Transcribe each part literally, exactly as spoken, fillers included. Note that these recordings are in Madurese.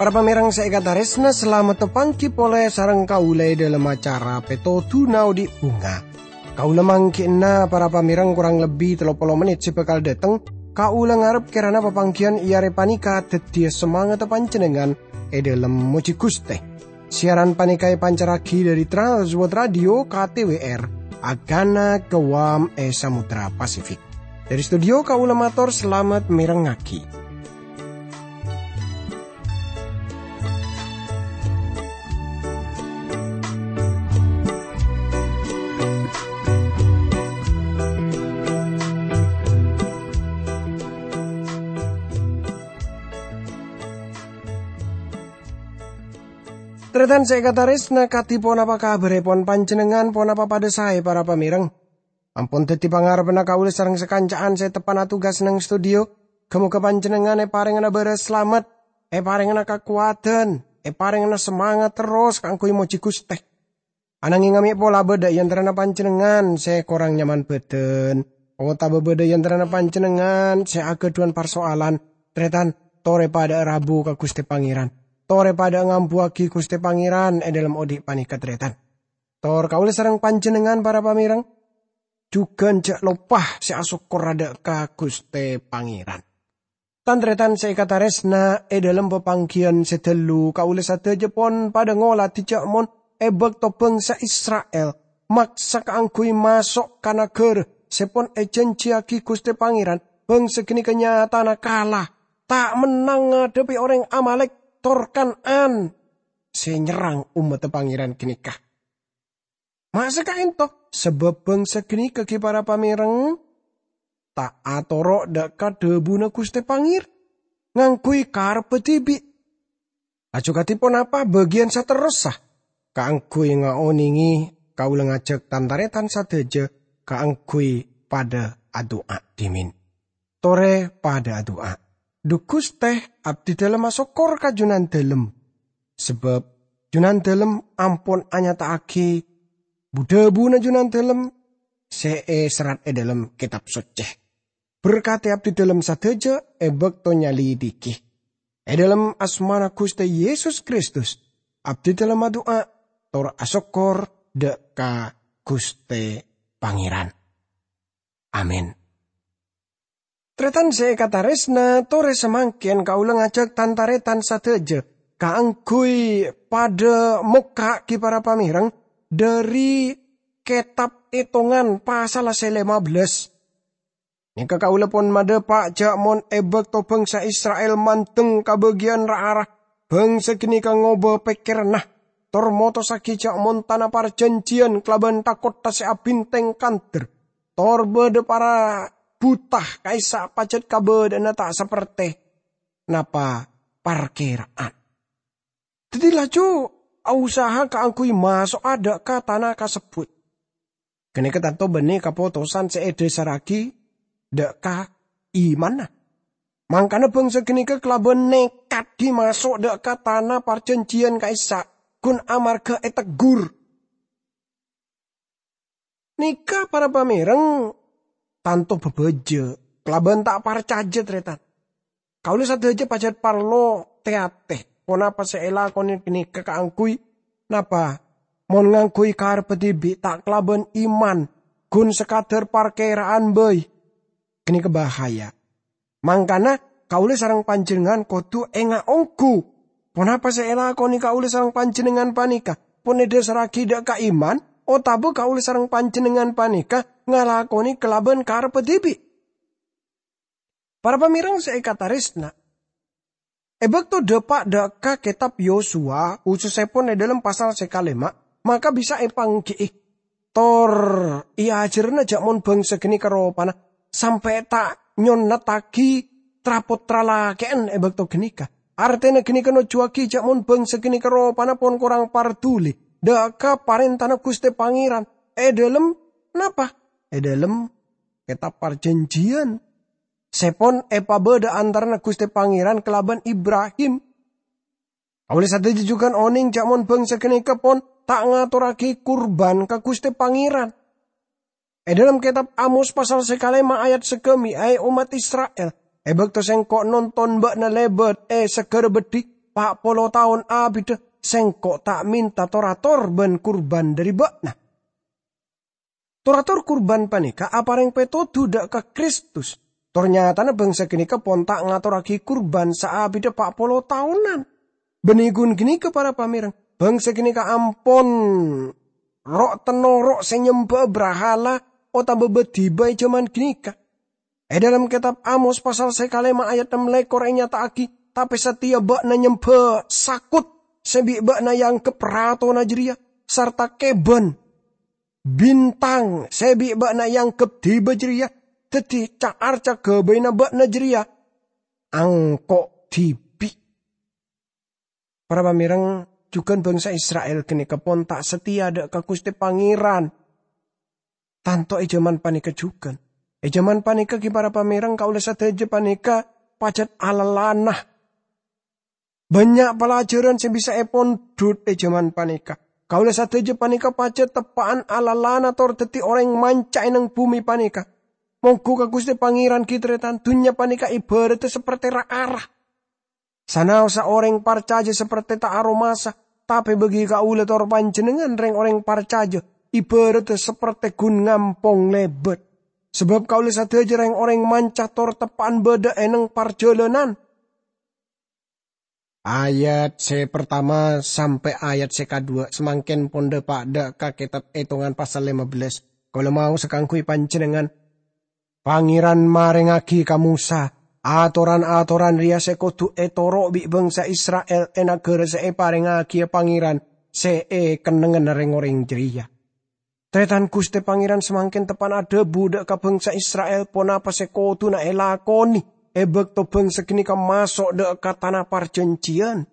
Para pamèrèng sè èkatarèsna, salamet tapangghi polè sareng kaulâ è dhâlem acara Pètodhuna Odi' Bhunga. Kaulâ mangghi'na para pamèrèng korang lebbi tello polo mennit sè bhâkal dhâteng. Kaulâ ngarep kèrana papangghiyân è arè panèka dhâddhiyâ samangatta panjhennengngan è dhâlem mojhi Ghustè. Siaran panèka èpancarraghi dhâri Trans World Radio K T W R, Agana Guam è Samudra Pasifik. Dhâri studio kaulâ mator salamet mèrengngaghi. Tarètan sè èkatarèsna, kadhi ponapa kabhârèpon panjhennengngan? Ponapa padhâ saè, para pamèrèng? Ampon dhâddhi pangarebbhânna kaulâ sareng sakanca'an sè teppa'na tugas neng studio. Ghâ-moghâ panjhennengngan èparèngana bârâs salamet, èparèngana kakowadhân, èparèngana samangat terros kaangghuy mojhi Ghustè. Ananghing amè' pola bâdâ è antarana panjhennengngan sè korang nyaman bhâdhân, otabâ bâdâ è antarana panjhennengngan sè aghâdhuwân parsoalan, tarètan, torè padhâ'â rabu ka Ghustè Pangèran. Torè padhâ'â ngambuwâghi Ghustè Pangèran è dhâlem odi' panèka, tarètan. Tor kaulâ sareng panjhennengngan, para pamèrèng, jhughân jhâ' loppa sè asokkor adhâ' ka Ghustè Pangèran. Tan-tarètan sè èkatarèsna, è dhâlem papangghiyân sè dâllu, kaulâ sadhâjâ pon padhâ ngolatè jhâ' mon è bâkto bhângsa Isra'il maksa kaangghuy maso' ka naghârâ sè pon èjhânjhiyâghi Ghustè Pangèran, bhângsa ghânèka nyatana kala, ta' mennang ngadhebbhi orèng Amalek tor Kan'an sè nyerrang ommaddhâ Pangèran ghânèka. Ma' sè ka'ènto, sabâb bhângsa ghânèka ghi' para pamèrèng ta' atoro' dhâ' ka dhâbuna Ghustè Pangèran, ngangghuy karebbhâ dhibi'. Laju kadhi ponapa bâgiyân saterrossa? Kaangghuy ngaonèngè, kaulâ ngajhâk tan-tarètan sadhâjâ kaangghuy padhâ adu'a dhimèn. Torè padhâ adu'a. Dhu Ghustè, abdhidhâlem asokkor ka Jhunandhâlem. Sabâb Jhunandhâlem ampon anyata'aghi bu-dhâbuna Jhunandhâlem sè èserrat è dhâlem Kètab Soccè. Berkadhi abdhidhâlem sadhâjâ è bâkto nyalidhighi. È dhâlem asmana Ghustè Yesus Kristus, abdhidhâlem adu'a tor asokkor dhâ' ka Ghustè Pangèran. Amin. Tarètan sè èkatarèsna, torè samangkèn kaulâ ngajhâk tan-tarètan sadhâjâ kaangghuy padhâ mokka' ghi' para pamèrèng dhâri Kètab Ètongan pasalla sè lèma bellâs. Nèka kaulâ pon madhâpa' jhâ' mon è bâkto bhângsa Isra'il mandeng ka bâgiyân ra-ara, bhângsa ghânèka ngobâ pèkkèranna, tor motossaghi jhâ' mon tana parjhânjhiyân kalabân tha-kottha sè abhintèng kandher, tor bâdâ para buta ka'issa' pajhât kabâdâ'ânna ta' sapertè napa parkèra'an. Dhâddhi laju ausaha kaangghuy maso'a dhâ' ka tana kasebbhut. Ghânèka tanto bânnè kapotosan sè èdhâsarraghi dhâ' ka imanna. Mangkana bhângsa ghânèka kalabân nèkadhi maso' dhâ' ka tana parjhânjhiyân ka'issa', ghun amarghâ ètegghur. Nèka para pamèrèng tanto bhâbhâjâ kalabân ta' parcajâ, tarètan. Kaulâ sadhâjâ pajhât parlo tè-atè ponapa sè èlakonè ghânèka kaangghuy napa? Mon ngangghuy karebbhâ dhibi' ta' kalabân iman, ghun sakadhâr parkèra'an bhâi. Ghânèka bahaya. Mangkana, kaulâ sareng panjhennengngan kodhu ènga' ongghu. Ponapa sè èlakonè kaulâ sareng panjhennengngan panèka? Pon èdhâsarraghi dhâ' ka iman, otabâ kaulâ sareng panjhennengngan panèka ngalakonè kalabân karebbhâ dhibi'? Para pamèrèng sè èkatarèsna, è bâkto dhâpa' dhâ' ka Kètab Yosua, khusussèpon è dhâlem pasal sè kalèma', maka bisa èpangghi'i. Tor èajhârâna jhâ' mon bhângsa ghânèka ropana sampè' ta' nyonnataghi tra-pottra lakè'an è bâkto ghânèka. Artèna ghânèka nojjuwâghi jhâ' mon bhângsa ghânèka ropana pon korang parduli dhâ' ka parèntana Ghustè Pangèran è dhâlem napa? È dhâlem Kètab Parjhânjhiyân sè pon èpabâdâ antarana Ghustè Pangèran kalabân Ibrahim. Kaulâ sadhâjâ jhughân onèng jhâ' mon bhângsa ghânèka pon ta' ngatorraghi kurban ka Ghustè Pangèran. È dhâlem kètab Amos pasal sè kalèma ayat sagâmè', "È ommat Isra'il, è bâkto Sèngko' nonton bâ'na lèbât è saghârâ beddhi pa' polo taon abidhâ, Sèngko' ta' mènta tor-ator bân kurban dhâri bâ'na." Tor-ator kurban panèka aparèng pètodhu dhâ' ka Kristus. Tor nyatana bhângsa ghânèka pon ta' ngatorraghi kurban saabidhâ pa' polo taonan. Bânnè ghun ghânèka, para pamèreng, bhângsa ghânèka ampon ro'-tennoro' sè nyembhâ'â brahala otabâ bâdhibâ è jhâman ghânèka. È dhâlem kètab Amos pasal sè kalèma ayat nem lèkor ènyata'aghi, "Tapè satèya bâ'na nyembhâ sakot sè bi' bâ'na èangghep ratona jârèya, sarta kèbân bintang sè bi' bâ'na èangghep dhibâ jârèya dhâddhi ca-arca ghâbâyna bâ'na jârèya angko' dhibi'." Para pamèreng, jhughân bhângsa Isra'il ghânèka pon ta' satèya dhâ' ka Ghustè Pangèran. Tanto è jhâman panèka jhughân. È jhâman panèka ghi, para pamèreng, kaulâ sadhâjâ panèka pajhât alalana. Bânnya' palajhârân sè bisa èpondhut è jhâman panèka. Kaulâ sadhâjâ panèka pajhât teppa'an alalana tor dhâddhi orèng manca è neng bhumè panèka. Mongghu ka Ghustè Pangèran ghi, tarètan, dhunnya panèka èbhârâddhâ sapertè ra-ara. Sanaossa orèng parcajâ sapertè ta' aromasa, tapè bâgi kaulâ tor panjhennengngan rèng-orèng parcajâ, èbhârâddhâ sapertè ghun ngampong lèbât. Sabâb kaulâ sadhâjâ rèng-orèng manca tor teppa'an bâdâ è neng parjhâlânan. Ayat sè partama sampè' ayat sè kadhuwâ' samangkèn pon dhâpa' dhâ' ka Kètab Ètongan pasal lèma bellâs. Kaulâ maos kaangghuy panjhennengngan. Pangèran marèngngaghi ka Mosa atoran-atoran rèya sè kodhu ètoro' bi' bhângsa Isra'il è naghârâ sè èparèngngaghi Pangèran sè è kennengnganna rèng-orèng jârèya. Tarètan, Ghustè Pangèran samangkèn teppa'na adhâbu dhâ' ka bhângsa Isra'il ponapa sè kodhuna èlakonè è bâkto bhângsa ghânèka maso' dhâ' ka Tana Parjhânjhiyân.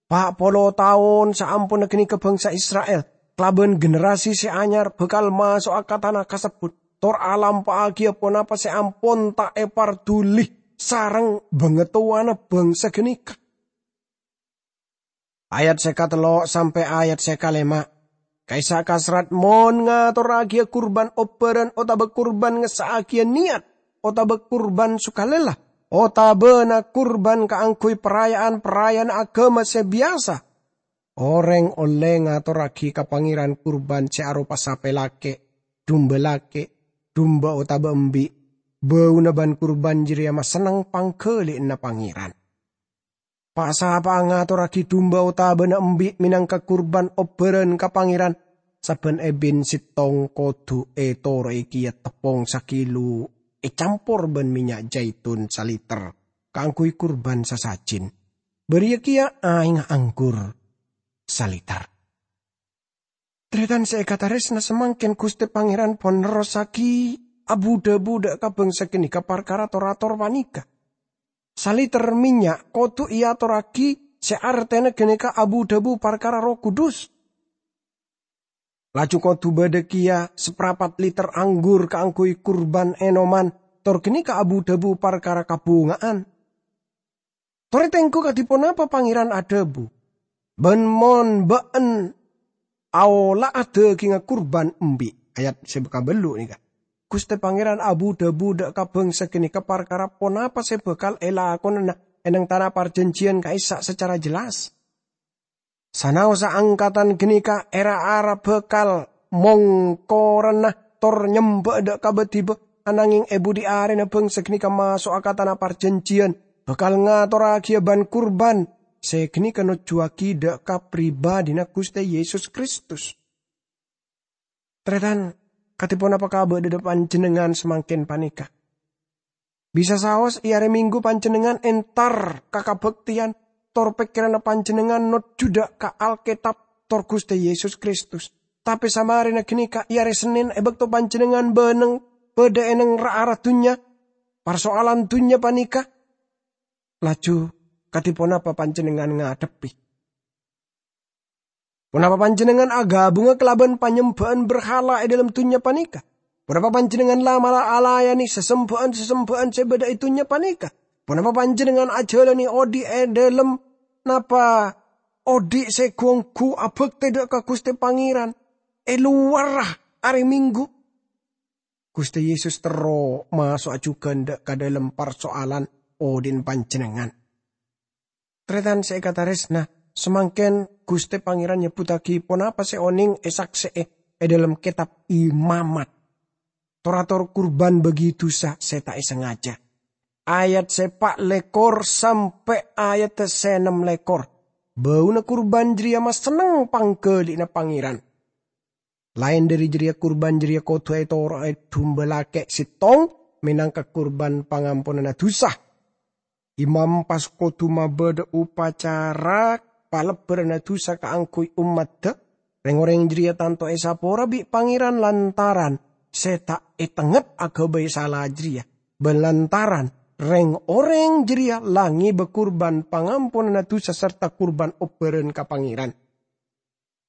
Pa' polo taon saamponna ghânèka bhângsa Isra'il, kalabân generasi sè anyar bhâkal maso'a ka tana kasebbhut, tor alampa'aghiyâ ponapa sè ampon ta' èparduli sareng bhângatowana bhângsa ghânèka. Ayat sè katello' sampè' ayat sè kalèma'. Ka'issa' kasrat mon ngatorraghiyâ kurban obbhârân otabâ kurban ngessa'aghiyâ niyat otabâ kurban sukalèla, otabâna kurban kaangghuy paraya'an-paraya'an aghâma sè biyasa, orèng ollè ngatorraghi ka Pangèran kurban sè aropa sapè lakè', dumba lakè', dumba otabâ embi', bâuna bân kurban jârèya masenneng pangghâli'ânna Pangèran. Pa'-sapa'a ngatorraghi dumba otabâna embi' mènangka kurban obbhârân ka Pangèran, sabbhân èbin sèttong kodhu ètoro'è kèya teppong sakilo ècampor bân mènnya' jaitun saliter kaangghuy kurban sasajin, bâriyâ kèya aèngnga anggur saliter. Tarètan sè èkatarèsna samangkèn, Ghustè Pangèran pon nerrossaghi abu-dhâbu dhâ' ka bhângsa ghânèka parkara tor-ator panèka. Saliter mènnya' kodhu èatorraghi sè artèna ghânèka abu-dhâbu parkara Erroh Kudus. Laju kodhu bâdâ kèya saprapat liter anggur kaangghuy kurban ènoman, tor ghânèka abu-dhâbu parkara kabhunga'an. Torè tengghu kadhi ponapa Pangèran adhâbu, "Bân mon bâ'en aola'a dhâghingnga kurban embi'." Ayat sè kabellu' nèka. Ghustè Pangèran abu-dhâbu dhâ' ka bhângsa ghânèka parkara ponapa sè bhâkal èlakonana è neng Tana Parjhânjhiyân ka'issa' sacara jelas. Sanaossa angkatan ghânèka ra-ara bhâkal mongkorana tor nyembhâ dhâ' ka bâdhibâ, ananghing è budhi arèna bhângsa ghânèka maso'a ka Tana Parjhânjhiyân, bhâkal ngatorraghiyâ bân kurban sè ghânèka nojjuwâghi dhâ' ka pribadhina Ghustè Yesus Kristus. Tarètan, kadhi ponapa kabâdâ'ânna panjhennengngan samangkèn panèka? Bisa saos è arè Minggu panjhennengngan entar ka kabhâktèyan, tor pèkkèranna panjhennengngan nojjhu dhâ' ka Alkètab tor Ghustè Yesus Kristus. Tapè samarèna ghânèka è arè Sennèn è bâkto panjhennengngan bâneng bâdâ è neng ra-ara dhunnya, parsoalan dhunnya panèka, laju kadhi ponapa panjhennengngan ngadhebbhi? Ponapa panjhennengngan aghâbungnga kalabân panyembhâ'ân berhala è dhâlem dhunnya panèka? Ponapa panjhennengngan la-mala alayanè sasembhâ'ân-sasembhâ'ân sè bâdâ è dhunnya panèka? Ponapa panjhennengngan ajhâlânè odi' è dhâlem napa odhi' sè ghu-ongghu abhâktè dhâ' ka Ghustè Pangèran è lowarra arè Minggu. Ghustè Yesus terro maso'a jhughân dhâ' ka dhâlem parso'alan odhi'na panjhennengngan. Tarètan sè èkatarèsna, samangkèn Ghustè Pangèran nyebbhuttaghi ponapa sè onèng èsaksè'è è dhâlem kètab Imamat. Tor-ator kurban bâgi dhusa sè ta' èsangajâ. Ayat sè pa' lèkor sampè' ayat sè nem lèkor. Bâuna kurban jârèya masenneng pangghâli'na Pangèran. Laèn dhâri jârèya, kurban jârèya kodhu ètoro'è dhumba lakè' sèttong mènangka kurban pangamponanna dhusa. Imam pas kodhu mabâdâ upacara palebbhâranna dhusa kaangghuy ommaddhâ. Rèng-orèng jârèya tanto èsapora bi' Pangèran lantaran sè ta' ètengnget aghâbây sala jârèya, bân lantaran rèng-orèng jârèya la ngèbâ kurban pangamponanna dhusa sarta kurban obbhârân ka Pangèran.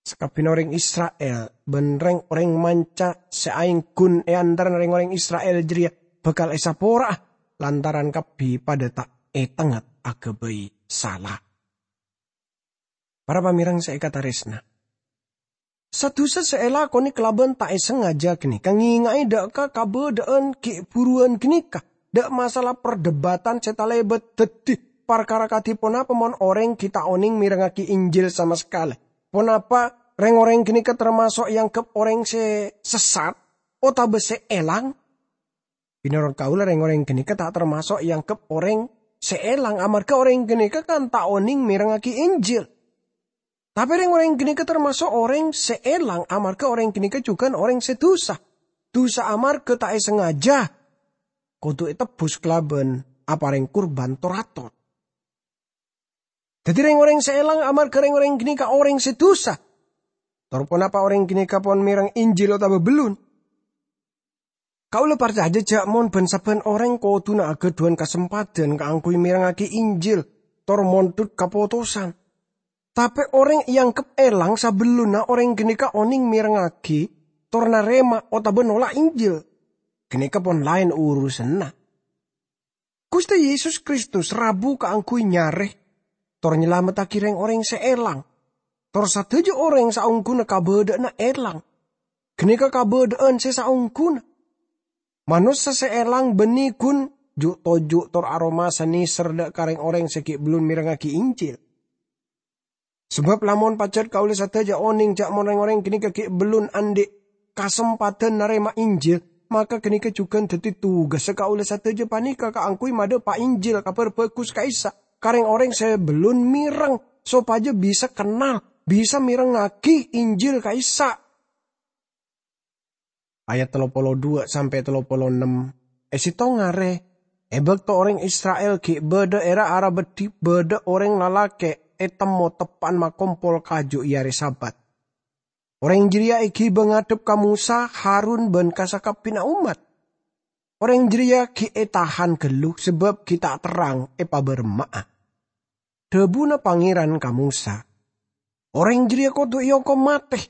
Sakabinna orèng Isra'il bân rèng-orèng manca sè aèngghun è antarana rèng-orèng Isra'il jârèya bhâkal èsapora'a lantaran kabbhi padâ ta' ètengnget aghâbây sala. Para pamèreng sè èkatarèsna, sadusa sè èlakonè kalabân ta' èsangajâ ghânèka ngènga'è dhâ' ka kabâdâ'ân ghi' bhuruwân ghânèka, dhâ' masalah perdebatan sè talèbât dhâddhi parkara kadhi ponapa mon orèng ghi' ta' onèng mèrengngaghi Injil sama sakalè. Ponapa rèng-orèng ghânèka tamaso' èangghep orèng sè sessat otabâ sè èlang? Mènorot kaulâ, rèng-orèng ghânèka ta' tamaso' èangghep orèng sè èlang, amarghâ orèng ghânèka kan ta' onèng mèrengngaghi Injil. Tapè rèng-orèng ghânèka tamaso' orèng sè èlang, amarghâ orèng ghânèka jhughân orèng sè dhusa. Dhusa amarghâ ta' èsangajâ kodhu ètebbhus kalabân aparèng kurban tor-ator. Dhâddhi, rèng-orèng sè èlang amarghâ rèng-orèng ghânèka orèng sè dhusa. Tor ponapa orèng ghânèka pon mèreng Injil otabâ bellun? Kaulâ parcajâ jâ' mon bân-sabbhân orèng kodhuna aghâdhuwân kasempadhân kaangghuy mèrengngaghi Injil tor mondhut kapotosan. Tapè orèng èangghep èlang sabellunna orèng ghânèka onèng mèrengngaghi tor narèma otabâ nolak Injil, ghânèka pon laèn urusanna. Ghustè Yesus Kristus rabu kaangghuy nyarè tor nyalamettaghi rèng-orèng sè èlang. Tor sadhâjâ orèng saongghuna kabâdâ'ânna èlang. Ghânèka kabâdâ'ân sè saongghuna. Manossa sè èlang bânnè ghun ju'-toju' tor aromasa nèser dhâ' ka rèng-orèng sè ghi' bellun mèrengngaghi Injil. Sabâb lamon pajhât kaulâ sadhâjâ onèng jâ' mon rèng-orèng ghânèka ghi' bellun andi' kasempadhân narèma Injil, maka ghânèka jhughân dhâddhi tugassa kaulâ sadhâjâ panèka kaangghuy madhâpa' Injil Kabhâr Bhâghus ka'issa' ka rèng-orèng sè bellun mèreng, sopajâ bisa kennal, bisa mèrengngaghi Injil ka'issa'. Ayat tello polo dua sampè' tello polo ennem. È sèttong arè, è bâkto orèng Isra'il ghi' bâdâ è ra-ara beddhi, bâdâ orèng lalakè' ètemmo teppa'na makompol kaju è arè Sabat. Orèng jârèya èghibâ ngadhep ka Mosa, Harun, bân ka sakabbhiyânna ommat. Orèng jârèya ghi' ètahan ghâllu sabâb ghi' ta' terrang èpabârâmma'a. Dhâbuna Pangèran ka Mosa, "Orèng jârèya kodhu èokom matè.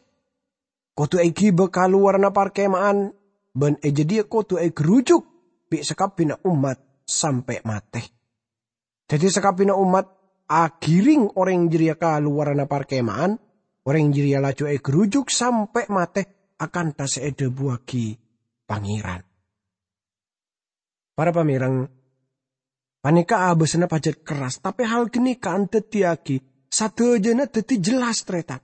Kodhu èghibâ ka lowarra parkèma'an, bân è jâdiyâ kodhu ègherrujuk bi' sakabbhiyânna ommat sampè' matè." Dhâddhi sakabbhiyânna ommat aghirèng orèng jârèya ka lowarra parkèma'an, orèng jârèya laju ègherrujuk sampè' matè akantha sè èdhâbuwâghi Pangèran. Para pamèreng, panèka abâsanna pajhât kerras, tapè hal ghânèka andhâddhiyâghi sadhâjâna dhâddhi jelas, tarètan.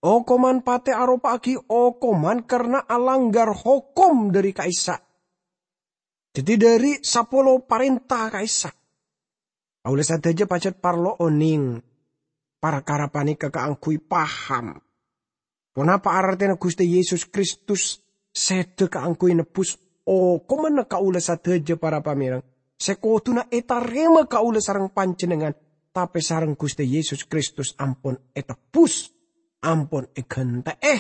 Okoman patè aropa'aghi okoman karna alanggar hokom dhâri ka'issa'. Dhâddhi dhâri sapolo parènta ka'issa'. Kaulâ sadhâjâ pajhât parlo onèng parkara panèka kaangghuy paham ponapa artèna Ghustè Yesus Kristus sèdhâ kaangghuy nebbhus okomanna kaulâ sadhâjâ, para pamèreng, sè kodhuna ètarèma kaulâ sareng panjhennengngan, tapè sareng Ghustè Yesus Kristus ampon ètebbhus, ampon èghântè'è.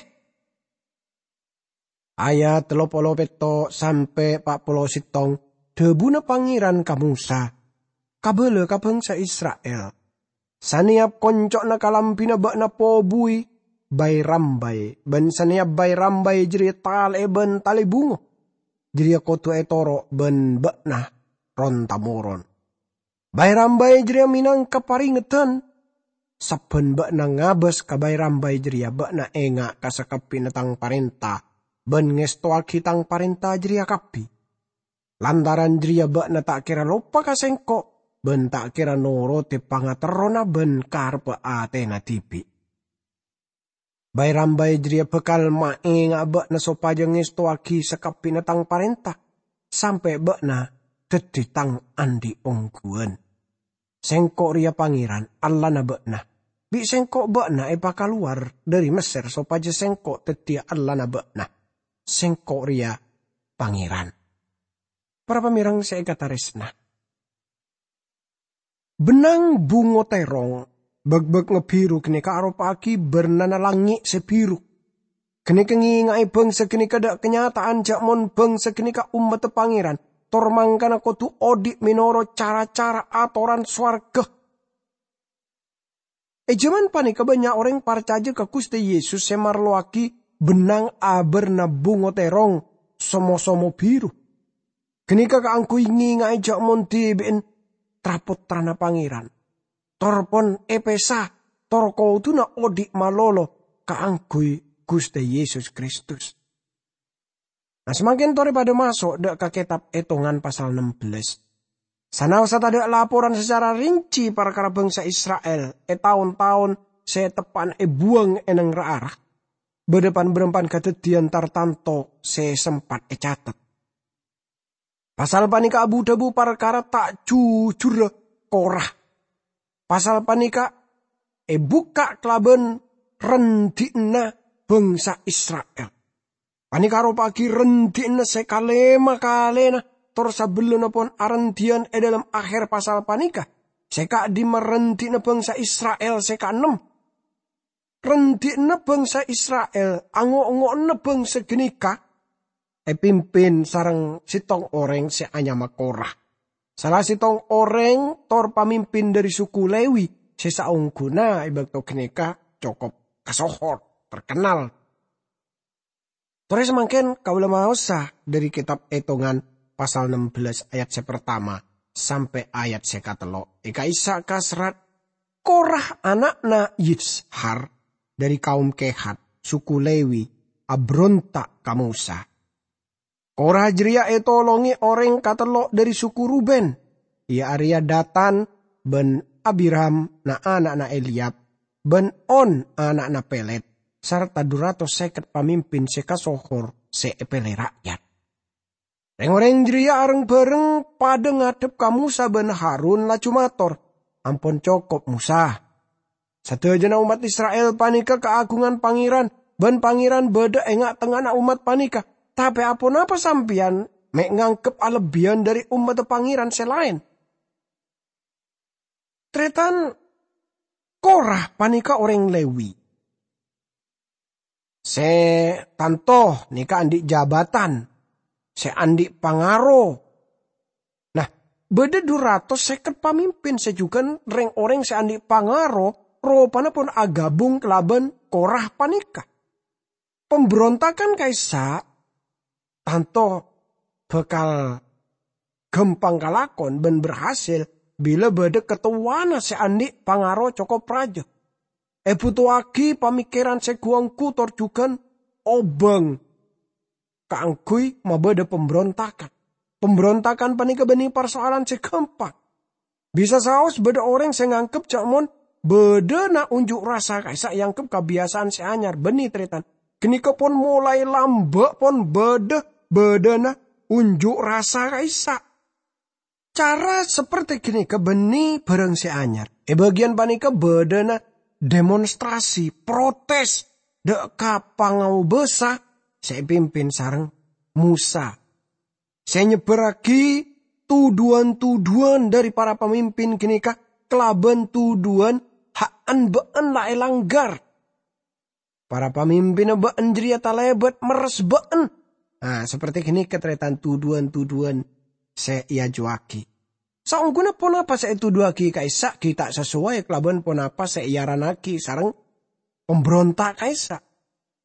Ayat tello polo pètto' sampè' pa' polo sèttong, dhâbuna Pangèran ka Mosa, "Kabâlâ ka bhângsa Isra'il, sanèyap konco'na kalambhina bâ'na pobuwi bay-rambay, bân sanèyap bay-rambay jârèya talè'è bân talè bungo, jârèya kodhu ètoro' bân bâ'na ron-tamoron. Bay-rambay jârèya mènangka parèngedhân Sabban ba'na ngabâs ka bay-rambay jârèya, ba'na enga' ka sakabbhina tang parènta, bân ngèstowaghi tang parènta jârèya kabbhi. Lantaran jârèya ba'na ta' kèra loppa ka sèngko', bân ta' kèra norote pangaterrona bân karebbhâ atèna dhibi'. Bay-rambay jârèya bhâkal maènga'a ba'na sopajâ ngèstowaghi sakabbhina tang parènta, sampè' ba'na dhâddhi tang andi' ongghuwân. Sèngko' rèya Pangèran, Allahna ba'na. Bi' sèngko' ba'na èpakalowar dhâri Messèr sopajâ sèngko' dhâddhiyâ Allahna ba'na. Sèngko' rèya Pangèran. Para pamèreng sè èkatarèsna, bennang bungo tèrong, bâk-bâk ngebhiru ghânèka aropa'aghi bârnana langngè' sè bhiru. Ghânèka ngènga'è bhângsa ghânèka dâ' kanyata'an jâ' mon bhângsa ghânèka ommaddhâ Pangèran, tor mangkana kodhu odi' mènorot cara-cara atoran sowarghâ. È jhâman panèka bânnya' orèng parcajâ ka Ghustè Yesus sè marlowaghi bennang abârna bungo tèrong, somo-somo bhiru. Ghânèka kaangghuy ngènga'è jâ' mon dhibi'en tra-pottrana Pangèran, tor pon èpèsa, tor kodhuna odi' malolo kaangghuy Ghustè Yesus Kristus. Nah, samangkèn torè padâ maso' dâ' ka Kètab Ètongan pasal nem bellâs. Sanaossa tadâ' laporan sacara rinci parkara bhângsa Isra'il è taon-taon sè teppa'na èbuwâng è neng ra-ara, bâdâ pan-bârâmpan kadhâddhiyân tartanto sè sempat ècatet. Pasal panèka abu-dhâbu parkara ta' jujurra Kora. Pasal panèka èbukka' kalabân rèndhi'na bhângsa Isra'il. Panèka aropa'aghi rèndhi'na sè kalèma kalèna, tor sabellunna pon arèndhi'ân è dâlem akhèr pasal panèka, sè ka'dimma rèndhi'na bhângsa Isra'il sè kaennem. Rèndhi'na bhângsa Isra'il, ango'-ngo'na bhângsa ghânèka, èpimpin sareng sèttong orèng sè anyama Kora. Sala sèttong orèng tor pamimpin dhâri suku Lewi sè saongghuna è bâkto ghânèka cokop kasohor, terkenal. Torè samangkèn kaulâ maosa dhâri Kètab Ètongan pasal nem bellâs ayat sè partama sampè' ayat sè katello'. È ka'issa' kaserrat, Kora ana'na Yishar dhâri kaum Kehat, suku Lewi, abronta' ka Mosa. Kora jârèya ètolongè orèng katello' dhâri suku Ruben, iyâ arèya Datan bân Abiram na'-ana'na Eliab, bân On ana'na Pelet, sarta dhu ratos sèket pamimpin sè kasohor sè èpèlè ra'yat. Rèng-orèng jârèya areng-bhâreng padâ ngadhep ka Mosa bân Harun laju mator, "Ampon cokop, Mosa! Sadhâjâna ommat Isra'il panèka kaagungan Pangèran, bân Pangèran bâdâ è nga'-tengnga'anna ommat panèka. Tapè aponapa sampèyan mè' nganggep alebbiyân dhâri ommadda Pangèran sè laèn?" Tarètan, Kora panèka orèng Lewi sè tanto nèka andi' jabatan, sè andi' pangaro. Nah, bâdâ dhu ratos sèket pamimpin sè jhughân rèng-orèng sè andi' pangaro, ropana pon agabung kalabân Kora panèka. Pambrontagan ka'issa' tanto bhâkal ghâmpang kalakon bân berhasil bilâ bâdâ katowana sè andi' pangaro cokop rajâ. Èbhutoaghi pamèkkèran sè ghu-ongghu tor jhughân obâng kaangghuy mabâdâ pambrontagan. Pambrontagan panèka bânnè parsoalan sè ghâmpang. Bisa saos bâdâ orèng sè nganggep jâ' mon bâdâna unjuk rasa ka'issa' èanggep kabiyasaan sè anyar. Bânnè, tarètan, ghânèka pon molaè lambâ' pon bâdâ bâdâna unjuk rasa ka'issa'. Cara saperti ghânèka bânnè bhârâng sè anyar. È bâgiyân panèka bâdâna demonstrasi, protes, dâ' ka pangobâsa sè èpimpin sareng Mosa, sè nyebbhârraghi tu-dhuwân-tu-dhuwân dhâri para pamimpin ghânèka kalabân tu-dhuwân ha'-, bâ'ân la èlanggar. Para pamimpinna bâ'ân jârèya talèbât merres bâ'ân. Nah, saperti ghânèka tarètan tu-dhuwân-tu-dhuwân sè èajuwâghi. Saongghuna ponapa sè ètudhuwâghi ka'issa' ghi' ta' sasoway kalabân ponapa sè èarannaghi sareng pambronta' ka'issa'.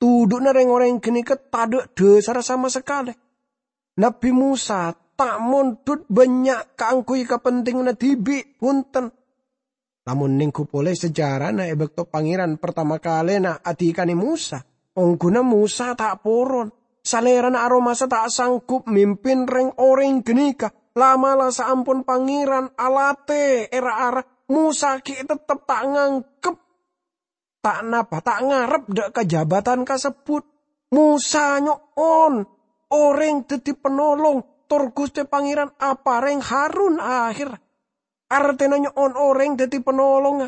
Tudhu'na rèng-orèng ghânèka tadâ' dhâsarra sama sakalè. Nabbhi Mosa ta' mondhut bânnya' kaangghuy kapentinganna dhibi', bhunten. Amonèng ghu polè sejarana è bâkto Pangèran partama kalèna adhikana Mosa, ongghuna Mosa ta' poron. Salèrana aromasa ta' sanggup mimpin rèng-orèng ghânèka. La'-mala' saampon Pangèran alatè è ra-ara, Mosa ghi' tettep ta' nganggep, ta' napa, ta' ngarep dâ' kajabatan kasebbhut. Mosa nyo'on orèng dhâddhi panolong, tor Ghustè Pangèran aparèng Harun ahèr. Artèna nyo'on orèng dhâddhi panolongnga.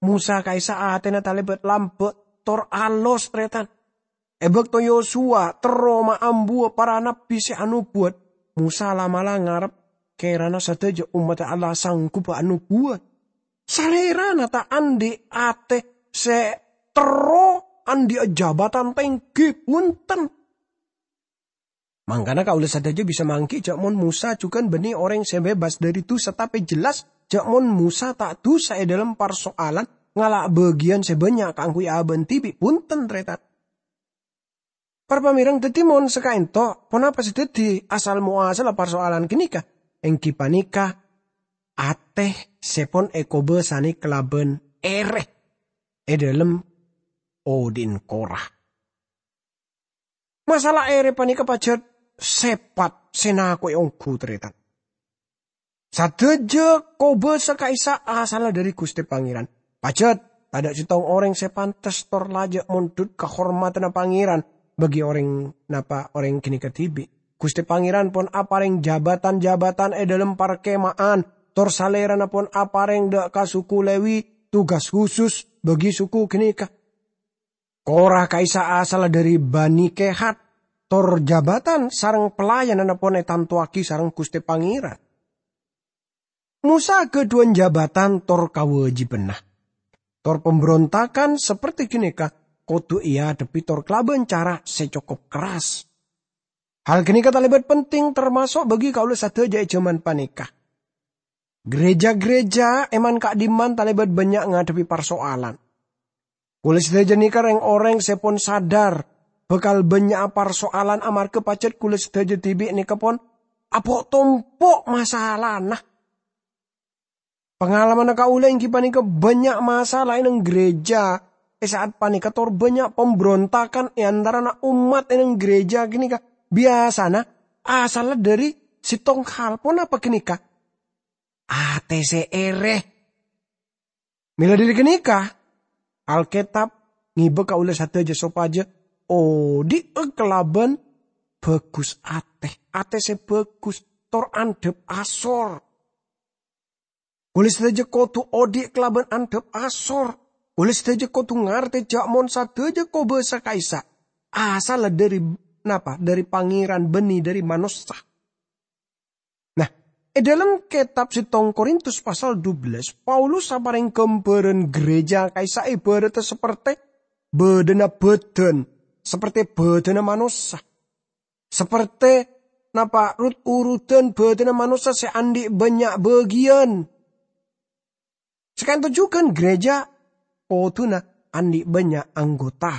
Mosa ka'issa' atèna talèbât lambâ' tor alos, tarètan. È bâkto Yosuwa terro maambuwâ para nabbhi sè anobuwât, Mosa la'-mala' ngarep kèrana sadhâjâ ommaddhâ Allah sangghubbhâ anobuwât. Salèrana ta' andi' atè sè terro, andi'â jabatan tèngghi, bhunten. Mangkana kaulâ sadhâjâ bisa mangghi jhâ' mon Mosa jhughân bânnè orèng sè bebas dhâri dhusa, tapè jelas jhâ' mon Mosa ta' dhusa è dhâlem parso'alan ngala' bâgiyân sè bânnya' kaangghuy abâ'na dhibi', bhunten, tarètan. Para pamèreng, dhâddhi mon sakaènto, ponapa sè dhâddhi asal moasalla parso'alan ghânèka? Èngghi panèka atè sè pon èkobâsanè kalabân èrè è dhâlem odi'na Kora. Masalah èrè panèka pajhât sèpat sè nako'è ongghu, tarètan. Sadhâjâ kobâsa ka'issa' asalla dhâri Ghustè Pangèran. Pajhât tadâ' sèttong orèng sè pantes tor lajâ' mondhut kahormadhânna Pangèran bagi orèng napa orèng ghânèka dhibi'. Ghustè Pangèran pon aparèng jabatan-jabatan è dhâlem parkema'an, tor Salèrana pon aparèng dâ' ka suku Lèwi tugas khusus bagi suku ghânèka. Kora ka'issa' asalla dhâri Bani Kehat, tor jabatan sareng pelayananna pon ètantowaghi sareng Ghustè Pangèran. Mosa ghâdhuwân jabatan tor kawâjibhânna. Tor pambrontagan saperti ghânèka kodhu èadhebbhi tor kalabân cara sè cokop kerras. Hal ghânèka talèbât penting, tamaso' bagi kaulâ sadhâjâ è jhâman panèka. Gereja-gereja è man-ka'dimman talèbât bânnya' ngadhebbhi parso'alan. Kaulâ sadhâjâ nèka rèng-orèng sè pon sadhâr bhâkal bânnya'a parso'alan amarghâ pajhât kaulâ sadhâjâ dhibi' nèka pon apo'-tompo' masalana. Pangalamanna kaulâ èngghi panèka bânnya' masala è neng gereja è sa'at panèka, tor bânnya' pambrontagan è antarana ommat è neng gereja ghânèka. Biyasana asalla dhâri sèttong hal. Ponapa ghânèka? Atè sè èrè. Mèla dhâri ghânèka, Alkètab ngibâ kaulâ sadhâjâ sopajâ odi'â kalabân bhâghus atè, atè sè bhâghus, tor andhâp asor. Kaulâ sadhâjâ kodhu odi' kalabân andhâp asor. Kaulâ sadhâjâ kodhu ngartè jhâ' mon sadhâjâ kobâsa ka'issa' asalla dhâri, napa? Dhâri Pangèran, bânnè dhâri manossa. Nah, è dhâlem kètab sèttong Korintus pasal dubellâs, Paulus aparèng ghâmbhârân gereja ka'issa' èbhârâddhâ sapertè bâdâna bâdân, sapertè bâdâna manossa. Sapertè napa rut-urudan bâdâna manossa sè andi' bânnya' bâgiyân. Saka'dinto jhughân gereja kodhuna andi' bânnya' anggota.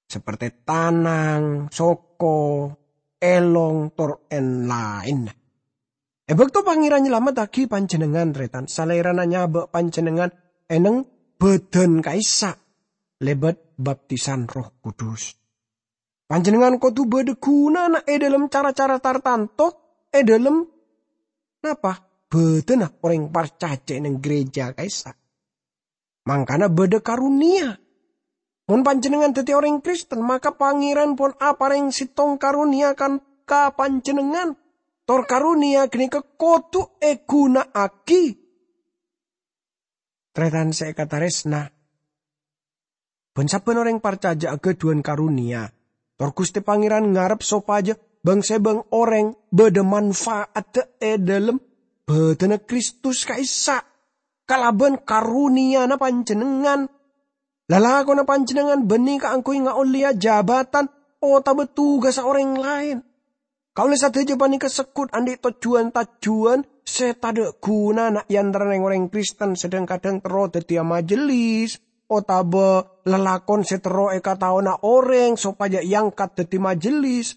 Sapertè tanang, soko, èlong, tor èn-laènna. È bâkto Pangèran nyalameddhâghi panjhennengngan, rètan, Salèrana nyabâ' panjhennengngan è neng bâdân ka'issa' lèbât baptisan Erroh Kudus. Panjhennengngan kodhu bâdâ ghunana è dhâlem cara-cara tartanto, è dhâlem napa? Bâdânna orèng parcajâ è neng gereja ka'issa'. Mangkana bâdâ karonèya. Mon panjhennengngan dhâddhi orèng Kristen, maka Pangèran pon aparèng sèttong karonèya kan ka panjhennengngan. Tor karonèya ghânèka kodhu èghuna'aghi. Tarètan sè èkatarèsna, bân sabbhân orèng parcajâ aghâdhuwân karonèya. Tor Ghustè Pangèran ngarep sopajâ bâng-sèbâng orèng bâdâ manfaadda è dhâlem bâdânna Kristus ka'issa'. Kalabân karonèyana panjhennengngan, lalakonna panjhennengngan bânnè kaangghuy ngaollèya jabatan otabâ tugassa orèng laèn. Kaulâ sadhâjâ panèka segghut andi' tojjhuwân-tajjhuwân sè tadâ' ghunana è antarana rèng-orèng Kristen sè dhâng-kadhâng terro dhâddhiyâ majellis, otabâ lalakon sè terro èkataowana orèng sopajâ èangkat dhâddhi majellis.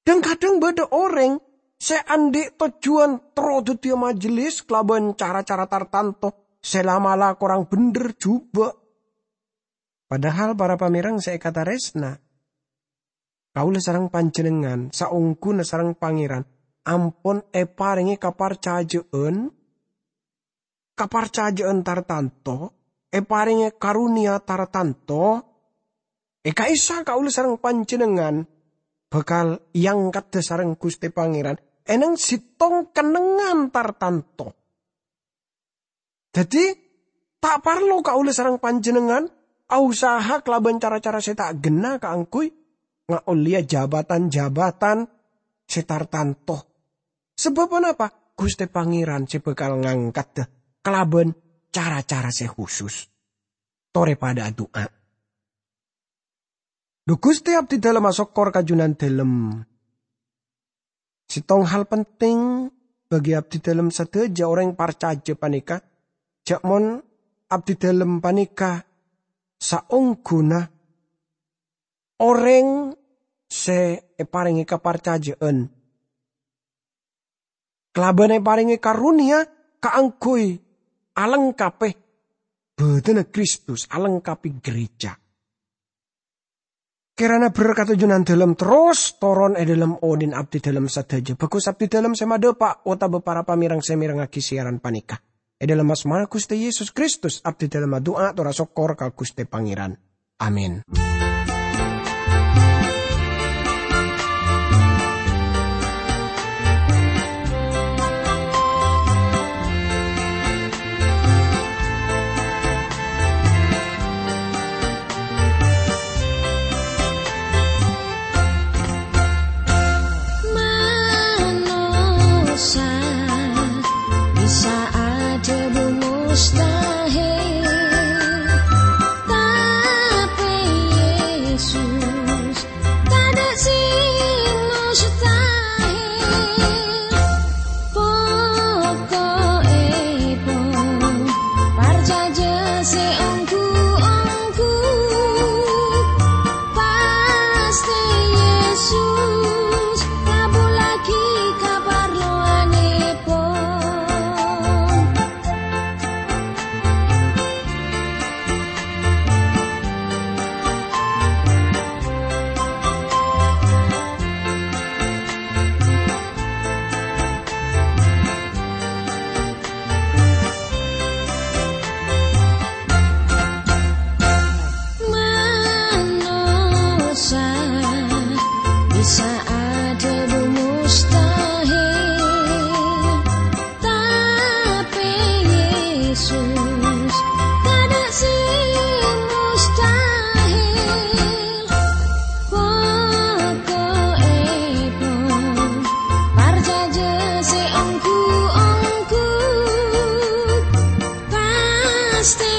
Dhâng-kadhâng bâdâ orèng sè andi' tojjhuwân terro dhâddhiyâ majelis kalabân cara-cara tartanto sè la'-mala' korang bhendher jhubâ'. Padahal para pamèreng sè èkatarèsna, kaulâ sareng panjhennengngan saongghuna sareng Pangèran ampon èparèngè kaparcajâ'ân, kaparcajâ'ân tartanto, èparèngè karonèya tartanto, è ka'issa' kaulâ sareng panjhennengngan bhâkal èangkadhâ sareng Ghustè Pangèran è nèng sèttong kennengngan tartanto. Dhâddhi, ta' parlo kaulâ sareng panjhennengngan aosaha kalabân cara-cara sè ta' ghenna kaangghuy ngaollèya jabatan-jabatan sè tartanto. Sabâb ponapa? Ghustè Pangèran sè bhâkal ngangkadhâ kalabân cara-cara sè husus. Torè padâ adu'a. Dhu Ghustè, abdhidhâlem asokkor ka Jhunandhâlem. Sèttong hal penting bagi abdhidhâlem sadhâjâ orèng parcajâ panèka, jhâ' mon abdhidhâlem panèka saongghuna orèng sè èparèngè kaparcajâ'ân kalabân èparèngè karonèya kaangghuy alengkapè bhâdhânna Kristus, alengkapè gereja. Kèrana berkat Jhunandhâlem terros toron è dhâlem odhi'na abdhidhâlem sadhâjâ, bhâghus abdhidhâlem sè madhâpa' otabâ para pamèreng sè mèrengngaghi siaran panèka. È dhâlem asmana Ghustè Yesus Kristus, abdhidhâlem adu'a tor asokkor ka Ghustè Pangèran. Amin. Manossa bisa adhâbu mustahil, tapè Yesus tadâ' sè mustahil. Poko'èpon parcajâ sè ongghu-ongghu, pastè Yesus kabhullaghi kaparlowanèpon. Manossa bisa adhâbu mustahil, tapè Yesus tadâ' sè mustahil. Poko'èpon parcajâ sè ongghu-ongghu, pastè